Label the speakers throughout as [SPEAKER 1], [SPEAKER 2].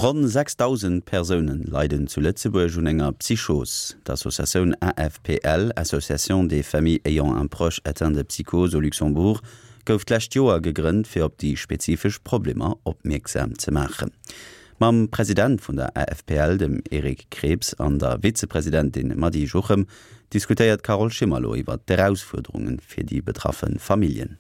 [SPEAKER 1] Ronn 6.000 Persoune leiden zu Lëtzebuerg un enger Psychos. D'Associatioun AFPL, Association des familles ayant un proche atteint de psychose au Luxembourg, gouf d'lescht Joer gegrënnt, fir op déi spezifesch Problemer opmierksam ze maachen. Mam President vun der AFPL, dem Eric Krebs, an der Vizepresidentin Mady Juchem diskutéiert d'Carole Schimmer elo iwwer d'Erausfuerderunge fir déi betraffe Familljen.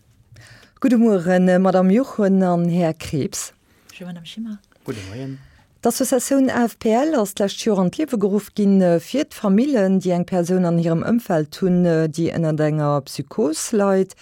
[SPEAKER 2] Gudde Mueren, Madamm Juchem an Här Krebs.
[SPEAKER 3] Bonjour Madame Schimmer.
[SPEAKER 4] Gudde Moien.
[SPEAKER 2] D'Associatioun AFPL ass d'lescht Joer an d'Liewe geruff ginn, fir d'Famillen, déi eng Persoun an hirem Ëmfeld hunn, déi ënnert enger Psychos leit.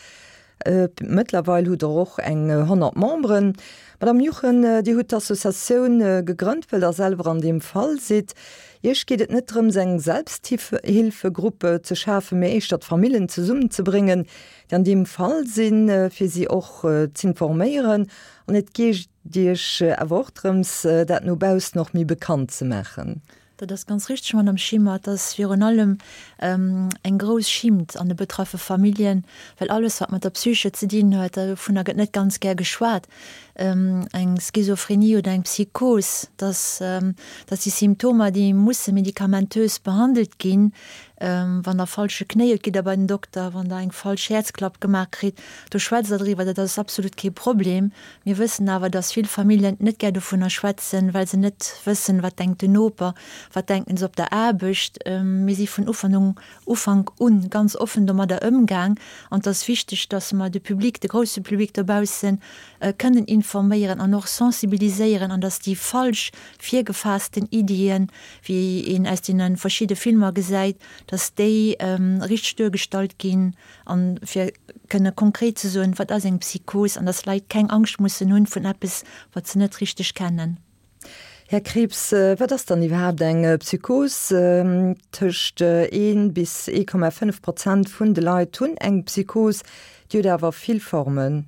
[SPEAKER 2] Mëttlerweil hutt Der och eng 100 Memberen. Madame Juchen, Dir hutt d'Associatioun gegrënnt, wëll Der selwer an deem Fall sidd. Iech geet et net drëms, eng Selbsthilfegrupp ze schafen, mee éischter d'Famillen zesummenzebréngen, déi an deem Fall sinn, fir si och z'informéieren An et geet Iech awer och drëms, dat no baussen och méi bekannt ze maachen.
[SPEAKER 3] Dat ass ganz richteg, Madame Schimmer. Et ass virun allem eng grouss Schimmt an de betraffe Familljen, well alles, wat mat der Psyche ze dinn huet, dovunner gëtt net ganz gär geschwat. Eng Schizophrenie oder eng Psychos, dass dat si Symptomer, déi musse medikamentös behandelt ginn. Wann Der falsche Knéi hutt, gitt Der bei den Dokter. Wann Der eng falsch Häerzklapp gemaach kritt, do schwätzt Der driwwer. Dat ass absolut kee Problem. Mir wëssen awer, dass vill Familljen net gär dovunner schwätzen, well se net wëssen, wat denkt den Noper, wat denken se op der Aarbecht. Mir si vun Ufank un ganz offen domadder ëmgaang. An et ass wichteg, dass mer de Public, de grousse Public dobaussen, kënnen informéieren an och sensibiliséieren an dass déi falsch virgefaassten Iddien, wéi een aus deene verschidde Filmer gesäit, dass déi richteg duergestallt ginn an fir kënne konkret ze soen, wat ass eng Psychos an dass Leit keng Angscht mussen hunn vun eppes, wat se net richteg kennen.
[SPEAKER 2] Här Krieps, wat ass dann iwwerhaapt eng Psychos? Tëscht ee bis 1,5 Prozent vun de Leit hunn eng Psychos, déi huet awer vill Formen.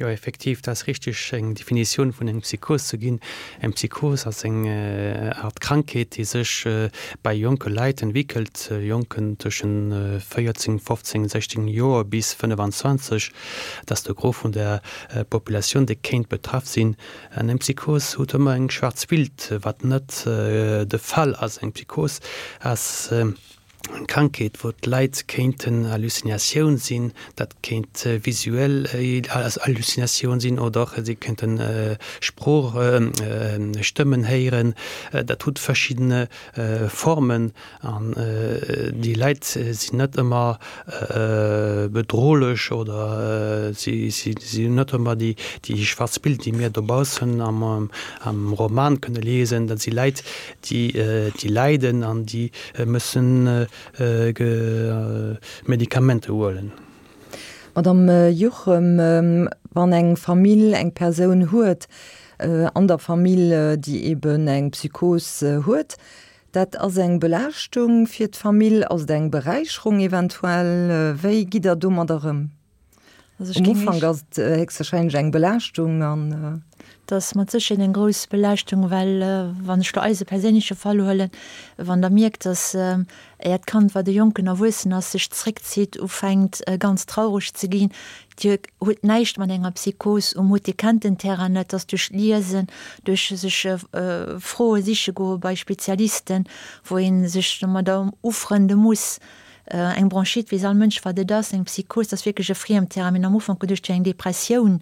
[SPEAKER 4] Jo, effektiv, dat ass richteg, eng Definitioun vun engem Psychos ze ginn. Eng Psychos ass eng Art Krankheet, déi sech bei jonke Leit entwéckelt, Jonken tëschent 14, 15, 16 Joer bis 25. Dat ass de Gros vun der Populatioun, déi kéint betraff sinn. An eng Psychos huet ëmmer eng schwaarz Bild, wat net de Fall ass. Eng Psychos ass Eng Krankheet, wou d'Leit kéinten Hallucinatioun sinn, dat kéint visuell Hallucinatioun sinn oder och si kéinten Sprooch, Stëmmen héieren. Dat huet verschiddene Formen an déi Leit sinn net ëmmer bedrohlech oder si hunn net ëmmer déi schwarz Bild, déi mir dobaussen am Roman kënne liesen. Dat si Leit, déi leiden an déi Mëssen Medikamenter huelen.
[SPEAKER 2] Madame Juchem, wann eng Famill eng Persoun huet an der Famill, déi eben eng Psychos huet, dat ass eng Belaaschtung fir d'Famill, ass et eng Beräicherung eventuell? Wéi gitt Der domadder ëm?
[SPEAKER 3] Also
[SPEAKER 2] Um Ufank ass et héchstwahrscheinlech eng Belaaschtung an.
[SPEAKER 3] Et ass mat Sécherheet eng grouss Belaaschtung, well wann ech elo eise perséinleche Fall huelen, wann Der mierkt, dass Äert Kand, wat e jonken Erwuessen ass, sech zréckzitt, ufänkt ganz traureg ze ginn, Dir hutt näischt mat enger Psychos um Hutt, Dir kennt den Terrain net, dass duerch d'Liesen, duerch sech Froe siche goe bei Spezialisten, wou ee sech domadder ufrënde muss, Eng Bronchite weess all Mënsch, wat et ass. Eng Psychos, dat ass wierklech e Friemterrain. Mir hunn am Ufank geduecht, et wier eng Depressioun.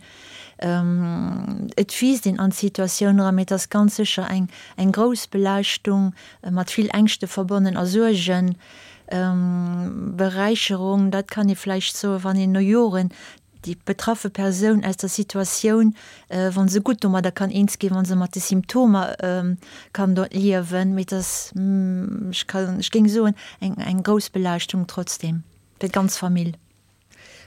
[SPEAKER 3] Et wiisst een an d'Situatioun eran, mee et ass ganz sécher eng, eng grouss Belaaschtung, mat vill Ängschte verbonnen a Suergen. Beräicherung, dat kann ee vläicht soen, wann een no Joren déi betraffe Persoun aus der Situatioun, wa se gutt domadder kann eens ginn, wa se mat de Symptomer kann do liewen, mee et ass, ech kann, ech géing soen, eng, eng grouss Belaaschtung trotzdem fir d'ganz Famill.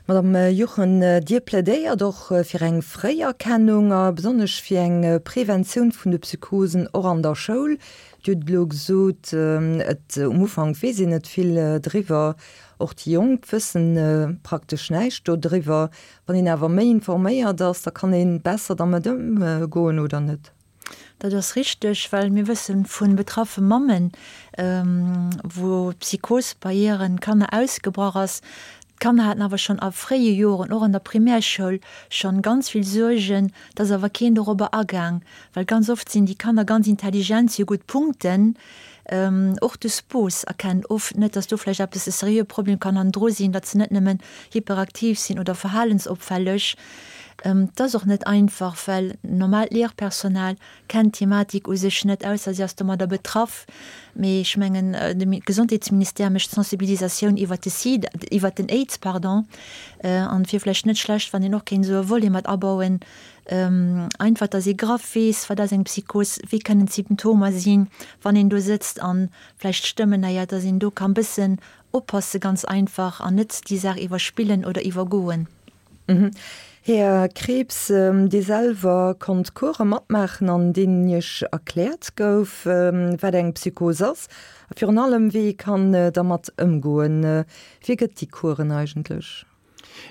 [SPEAKER 2] Madame Juchen, Dir plädéiert och fir eng Fréierkennung a besonnesch fir eng Preventioun vun de Psychosen och an der Schoul. Dir hutt elo gesot, et um Ufank weess een net vill driwwer. Och déi Jonk wëssen praktesch näischt dodriwwer. Wann een awer méi informéiert ass, da kann ee besser dermat ëmgoen, oder net?
[SPEAKER 3] Dat ass richteg, well mir wësse vu betraffe Mammen, wou d'Psychos bei hiren Kanner ausgebrach ass. D'Kanner haten awer schonn a fréie Joren, och an der Primärschoul, schonn ganz vill Suergen. Et ass awer keen dorobber agaang, well ganz oft sinn déi Kanner ganz intelligent, si hu gutt Punkten. Och de Spos erkennt oft net, dass do vläicht eppes e seriöe Problem kann hannendru sinn, datt se net nëmmen hyperaktiv sinn oder verhalensopfälleg. Et ass och net einfach, well normaalt Léierpersonal kennt d'Thematik u sech net, ausser si ass domadder betraff. Mee ech mengen, de Gesondheetsministère mécht Sensibilisatioun iwwert de Sida, iwwert den Aids, pardon, an et wier vläicht net schlecht, wann een och kéint esou e Volet mat abauen, einfach, datt ee graff weess, wat ass eng Psychos, wéi kënnen d'Symptomer sinn, wann een do sëtzt a vläicht Stëmmen héiert, datt een do ka bëssen oppasse ganz einfach an net déi Saach iwwerspillen oder iwwergoen.
[SPEAKER 2] Här Krieps, Dir selwer konnt Course matmaachen, an deenen Iech erkläert gouf, wat eng Psychos ass a virun allem, wéi ee kann dermat ëmgoen. Wie gëtt déi Coursen eigentlech?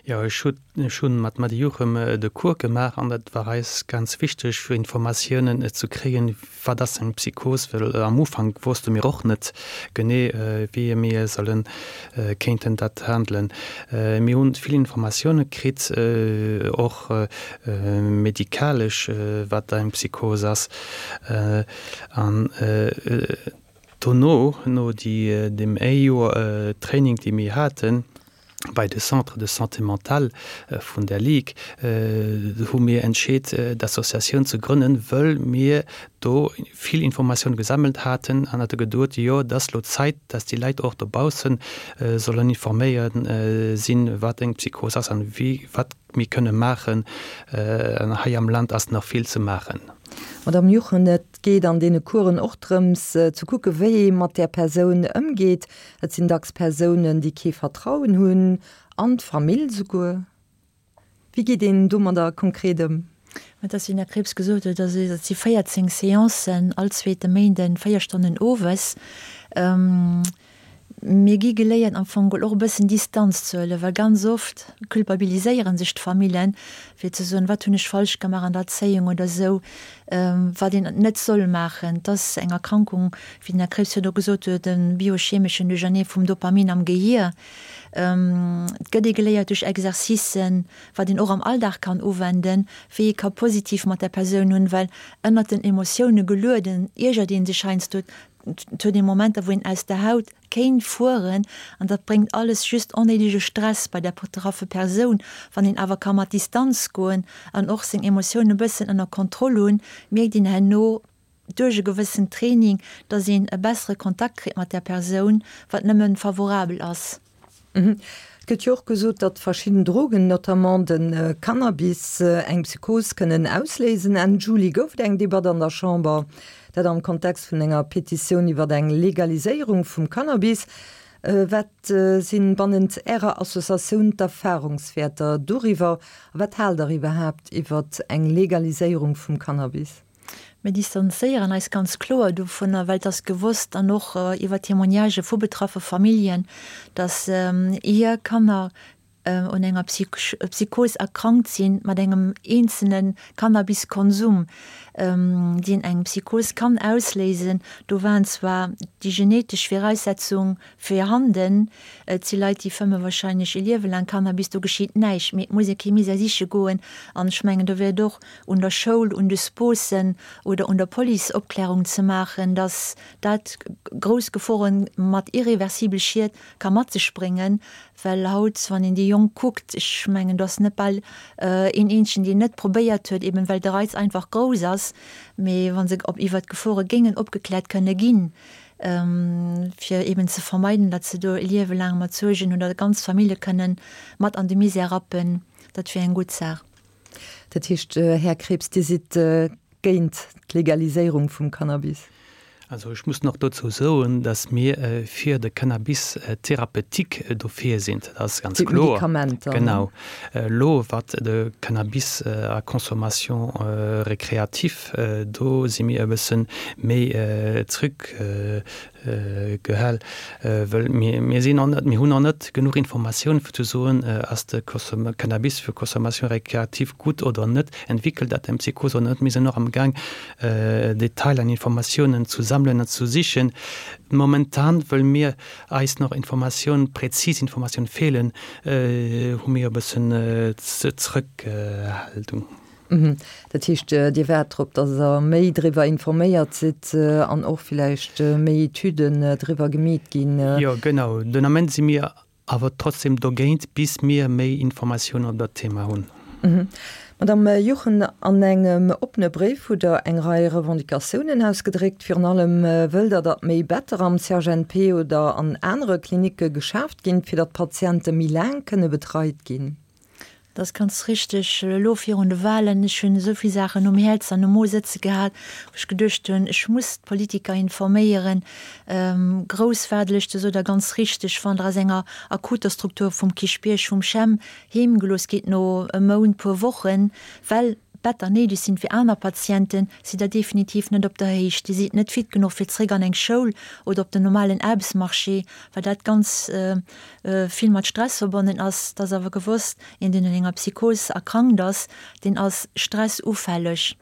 [SPEAKER 4] Jo, ech hu ech hunn mat Mady Juchem de Cours gemaach an dat war eis ganz wichteg, fir Informatiounen ze kréien, Wat ass eng Psychos? Well am Ufank wosste mir och net genee, wéi mir sollen, kéinten dat handelen. Mir hunn vill Informatioune kritt, och medikalesch, wat eng Psychos ass. An dono, no deem ee Joer Training, dee mir haten, Bei de Centres de santé mentale vun der Ligue hu mir entscheet, d'Associatioun ze grënnen, wëll mir do vill Informatioun gesammelt haten an hate geduet, jo, et ass lo Zäit, dass déi Leit och dobausse sollen informéiert sinn, wat eng Psychos ass an wéi, wat mir kënne maachen. An hei am Land ass nach vill ze maachen.
[SPEAKER 2] Madame Juchen, et geet an deene Coursen och drëms ze kucke wéi ee mat där Persoun ëmgeet. Et sinn dacks Persounen, déi kee Vertrauen hunn an d'Famill souguer. Wéi geet een domadder konkret ëm?
[SPEAKER 3] Mä et ass, wéi den Här Krieps gesot huet, also et si 14 Seancen all zweete Méinden, 4 Stonnen owes. Mir gi geléiert am Fong geholl och e bëssen Distanz ze huelen, well ganz oft culpabiliséiere sech d'Famillen, fir ze soen, wat hunn ech falsch gemaach an der Erzéiung oder esou, wat een net soll maachen. Et ass eng Erkrankung, wéi den Här Krieps virdu gesot huet, e biochemeschen Duerchernee vum Dopamin am Gehier. Et gëtt ee geléiert duerch Exercicen, wat een och am Alldag kann uwenden, wéi ee ka positiv mat der Persoun hunn, well ënnert den Emotioune gelueden iergert ee sech heiansdo, Et huet ee Momenter, wou een aus der Haut kéint fueren an dat bréngt alles just onnéidege Stress bei der betraffe Persoun. Wann een awer ka mat Distanz goen an och seng Emotioune bëssen ënner Kontroll hunn, mierkt een herno duerch e gewëssen Training, dass een e bessere Kontakt kritt mat där Persoun, wat nëmme favorabel ass.
[SPEAKER 2] Et gëtt jo och gesot, datt verschidden Drogen, notamment de Cannabis, eng Psychos kënnen ausléisen. Enn Juli gouf et eng Debatt an der Chamber, dat am Kontext vun enger Petitioun iwwer eng Legaliséierung vum Cannabis. Wat si bannent Ärer Associatioun d'Erfarungswäerter doriwwer a wat haalt Der iwwerhaapt iwwer eng Legaliséierung vum Cannabis?
[SPEAKER 3] Mir distanzéieren eis ganz kloer dovunner, well et ass gewosst an och iwwer Témoignagë vu betraffe Familljen, dass hir Kanner un enger Psychos erkrankt sinn mat engem eenzelne Cannabiskonsum, deen eng Psychos kann ausléisen. Do waren zwar déi genetesch Viraussetzung virhanden, et si Leit, déi fëmme wahrscheinlech e Liewe laang Cannabis, do geschitt näischt, mee et muss ee kee Misär siche goen an ech mengen, do wär et och un der Schoul, un de Sposen oder un der Police Opklärung ze maachen, dass dat grouss Geforen mat irreversibel Schied ka mat sech bréngen, well haut, wann een déi Jonk kuckt, ech mengen, do ass net bal een eenzegen, deen net probéiert huet, eben well de Reiz einfach grouss ass, mee wa se op iwwert d'Gefore géingen opgekläert kënne ginn, fir eben ze vermeiden, datt se do e Liewe laang mat Suergen hunn oder ganz Famillje kënnen mat an de Misär rappen, dat wier eng gutt Saach.
[SPEAKER 2] Dat heescht, Här Krieps, Dir sidd géint d'Legaliséierung vum Cannabis?
[SPEAKER 4] Also ech muss nach dozou soen, dass mir fir de Cannabis thérapeutique dofir sinn. Dat ass ganz kloer.
[SPEAKER 2] Fir d'Medikamenter.
[SPEAKER 4] Genau. Elo wat de Cannabis à consommation récréative, do si mir e bësse méi zrückhaltend. Gehal, wëll mir, mir sinn nach net, mir hunn nach net genuch Informatioun fir ze soen, ass de Cannabis fir Consommation récréative gutt oder net, entwéckelt dat eng Psychos oder net. Mir sinn nach am Gaang Detailer an Informatiounen zu sammelen an zu sichen. Momentan, wëll mir eis nach Informatioun, präzis Informatioun feelen, hu mir e bëssen Zrëckhaltung.
[SPEAKER 2] Dat heescht, Dir waart drop, datt Der méi driwwer informéiert sidd an och villäicht méi Etüden driwwer gemeet ginn?
[SPEAKER 4] Jo, genau. Den Ament si mir awer trotzdem dogéint, bis mir méi Informatiounen op dat Thema hunn.
[SPEAKER 2] Madame Juchen, an engem oppene Bréif hutt Der eng Rei Revendicatiounen ausgedréckt. Virun allem wëllt Der, datt méi Better am CHNP oder an anere Klinicke geschaaft ginn, fir datt d'Patiente méi laang kënne betreit ginn.
[SPEAKER 3] Dat ass ganz richteg. Elo virun de Wahlen, ech hunn esou vill Saachen um Häerz an um Mo sëtze gehat, wou ech geduecht hunn, ech muss d'Politiker informéieren. Grouss Waardelëschte sot Der ganz richteg, wann Der aus enger akuter Struktur vum Kierchbierg, vum CHEM heem gelooss gitt no e Mount, puer Wochen, well d'Better néideg sinn fir aner Patienten, sidd Der definitiv net op der Héicht. Dir sidd net fit genuch fir zréck an eng Schoul oder op den normalen Aarbechtsmarché, well dat ganz vill mat Stress verbonnen ass. Et ass awer gewosst, een deen un enger Psychos erkrankt ass, deen ass stressufälleg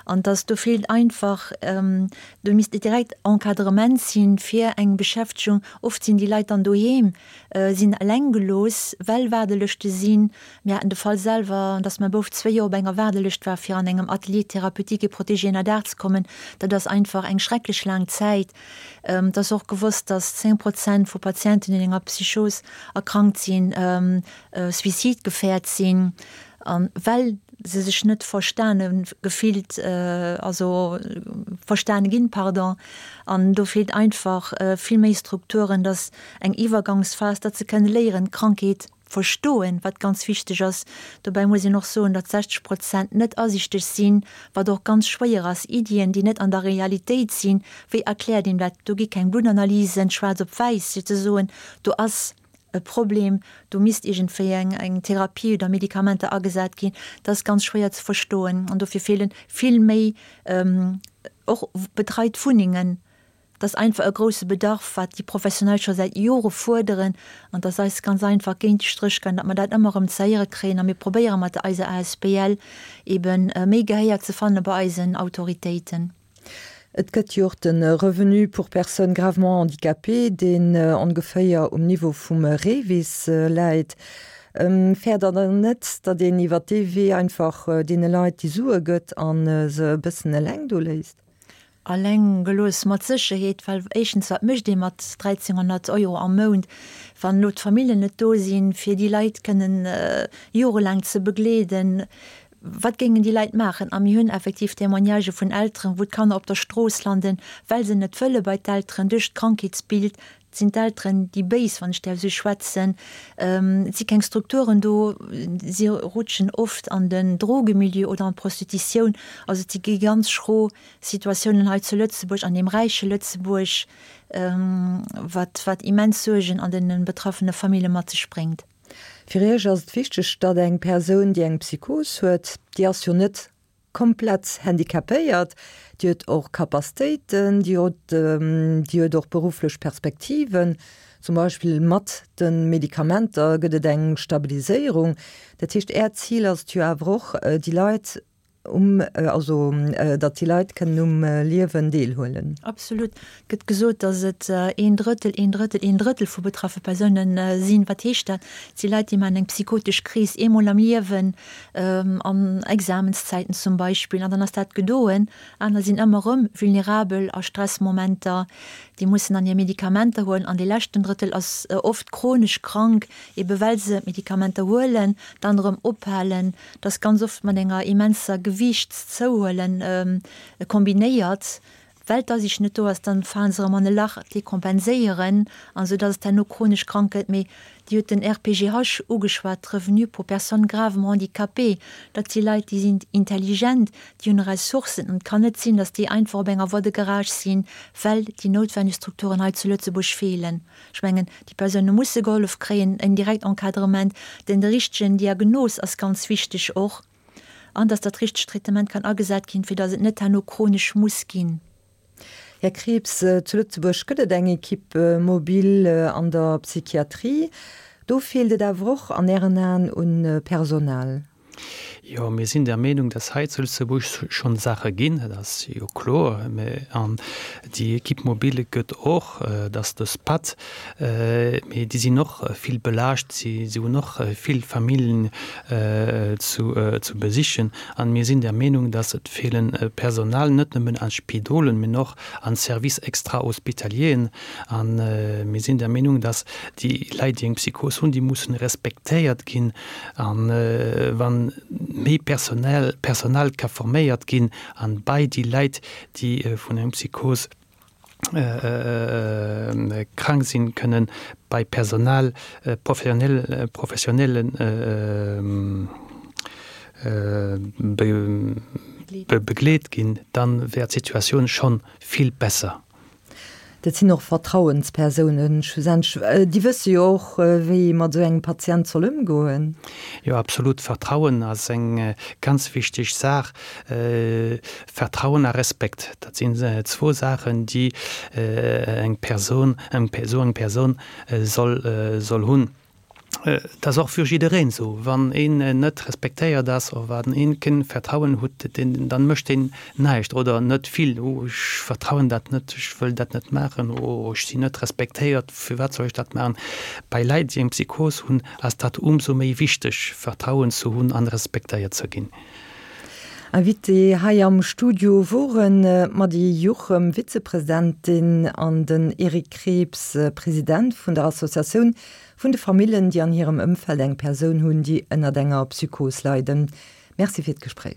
[SPEAKER 3] an dass do feelt einfach, do misst direkt Encadrement sinn fir eng Beschäftegung. Oft sinn déi Leit dann doheem, sinn eleng gelooss, well Waardelëschte sinn. Mir haten de Fall selwer, dass mäi Bouf zwéi Joer op enger Waardelëscht war fir an engem Atelier thérapeutique et protégé ënnerdaach ze kommen. Dat ass einfach eng schrecklech laang Zäit. Et ass och gewosst, dass 10 Prozent vu Patienten, déi un enger Psychos erkrankt sinn, suizidgefährt sinn, a well se sech net verstane gefillt, also verstane ginn, pardon. An do feelt einfach vill méi Strukturen, dass eng Iwwergangsphas, datt se kënne léieren, d'Krankheet verstoen, wat ganz wichteg ass. Dobäi muss een och soen, datt 60 Prozent net asiichteg sinn, wat och ganz schwéier ass. Iddien, déi net an der Realitéit sinn, wéi erkläert een dat? Do gi keng Bluttanalysen, schwaarz op wäiss, fir ze soen, do ass e Problem, do misst iergendwéi eng eng Therapie oder Medikamenter agesat ginn. Dat ass ganz schwéier ze verstoen an dofir feele vill méi och betreit Wunnengen. Et ass einfach e grousse Bedarf, wat déi Professionell scho säit Jore fuerderen, an et ass eis ganz einfach géint de Stréch gaangen, datt mer dat ëmmer erëm ze héiere kréien. A mir probéiere mat eiser asbl ebe méi Gehéier ze fanne bei eisen Autoritéiten.
[SPEAKER 2] Et gëtt jo och de Revenu pour personnes gravement handicapées, deen ongeféier um Niveau vum REVIS läit. Fäert Der dann net, datt een iwwer dee Wee einfach deene Leit déi Sue gëtt a se e bëssen eleng do léisst?
[SPEAKER 3] Alleng gelooss mat Sécherheet, well éischtens, wat mécht ee mat 1.300 Euro am Mount, wann elo d'Familljen net do sinn, fir déi Leit kënnen jorelaang ze begleeden? Wat géingen déi Leit maachen? A mir hunn effektiv Témoignagë vun Elteren, wou d'Kanner op der Strooss landen, well se net wëlle bei d'Elteren duerch d'Krankheetsbild Et sinn d'Elteren, déi béis, wann ech däerf esou schwätzen. Et si keng Strukturen do. Si rutschen oft an den Drogemilieu oder an d'Prostitutioun. Also et si gi ganz schro Situatiounen hei zu Lëtzebuerg, an deem räiche Lëtzebuerg, wat, wat immens Suergen an de betraffene Famille mat sech bréngt.
[SPEAKER 2] Fir Iech ass et wichteg, datt eng Persoun, déi eng Psychos huet, déi ass jo net komplett handicapéiert, déi huet och Capacitéiten, déi huet, déi huet och berufflech Perspektiven, zum Beispill mat de Medikamenter gëtt et eng Stabiliséierung. Dat heescht, Äert Zil ass et jo awer och, déi Leit um, also datt déi Leit kënnen um Liewen deelhuelen.
[SPEAKER 3] Absolut. Et gëtt gesot, datt et een Drëttel, een Drëttel, een Drëttel vu betraffe Persounen sinn. Wat heescht dat? Et si Leit, déi maachen eng psychotesch Kris eemol am Liewen, an Examenszäiten zum Beispill, an dann ass dat gedoen. Aner sinn ëmmer erëm vulnerabel a Stressmomenter, déi mussen dann hir Medikamenter huelen. An dee leschten Drëttel ass oft chronesch krank, ebe well se d'Medikamenter huelen, dann erëm ophalen. Dat ass ganz oft mat enger immenser Gewiichtszouhuelen kombinéiert. Well d'Asiicht net do ass, dann falen se erëm an e Lach, dekompenséieren an esou dass et herno chronesch krank gëtt. Mee Dir hutt den RPGH ugeschwat, d'Revenu pour personnes gravement handicapées, dat si Leit, déi sinn intelligent, déi hunn Ressourcen an et kann net sinn, dass déi einfach op enger Voie de garage sinn, well déi noutwenneg Strukturen hei zu Lëtzebuerg feelen. Ech mengen, déi Persoune musse gehollef kréien, en direkt Encadrement, den de richtegen Diagnos ass ganz wichteg och. An dass dat richtegt Traitement kann agesat ginn, fir dass et net herno chronesch muss ginn.
[SPEAKER 2] Här Krieps, zu Lëtzebuerg gëtt et eng Equipe mobile an der Psychiatrie. Do feelt et awer och an Ären Aen un Personal.
[SPEAKER 4] Jo, mir sinn der Meenung, dass hei zu Lëtzebuerg schonn Saache ginn, dat ass jo kloer. Mä an déi Equipe mobile gëtt och, dat ass de SPAD, mee déi sinn och vill belaascht, si hunn och vill Familljen zu besichen. An mir sinn der Meenung, dass et feelen Personal, net nëmmen an Spidolen, mä och an Services extra-hospitalieren. A mir sinn der Meenung, dass déi Leit, déi eng Psychos hunn, déi mussen respektéiert ginn. A wa méi Personal Personal ka forméiert ginn an bei déi Leit, déi vun engem Psychos krank sinn, kënnen bei Personal professionell professionelle begleet ginn, dann wär d'Situatioun schonn vill besser.
[SPEAKER 2] Dat sinn och Vertrauenspersounen schlussendlech. Déi wësse jo och, wéi ee mat esou engem Patient soll ëmgoen.
[SPEAKER 4] Jo, absolut. Vertrauen ass eng ganz wichteg Saach. Vertrauen a Respekt, dat sinn zwou Saachen, déi eng Persoun, esou eng Persoun soll soll hunn. Et ass och fir jiddereen esou, wann een net respektéiert ass oder wann een keen Vertrauen hutt, dann mécht een näischt oder net vill. Oh ech vertrauen dat net, ech wëll dat net maachen, oh ech sinn net respektéiert, firwat soll ech dat maachen? Bei Leit déi eng Psychos hunn, ass dat ëmsou méi wichteg, Vertrauen ze hunn an respektéiert ze ginn.
[SPEAKER 2] Invité hei am Studio woren d'Mady Juchem, Vizepresidentin, an den Eric Krieps, President vun der Associatioun Vun de Famillen, déi an hirem Ëmfeld eng Persoun hunn, déi ënnert enger Psychos leiden. Merci fir d'Gespréich.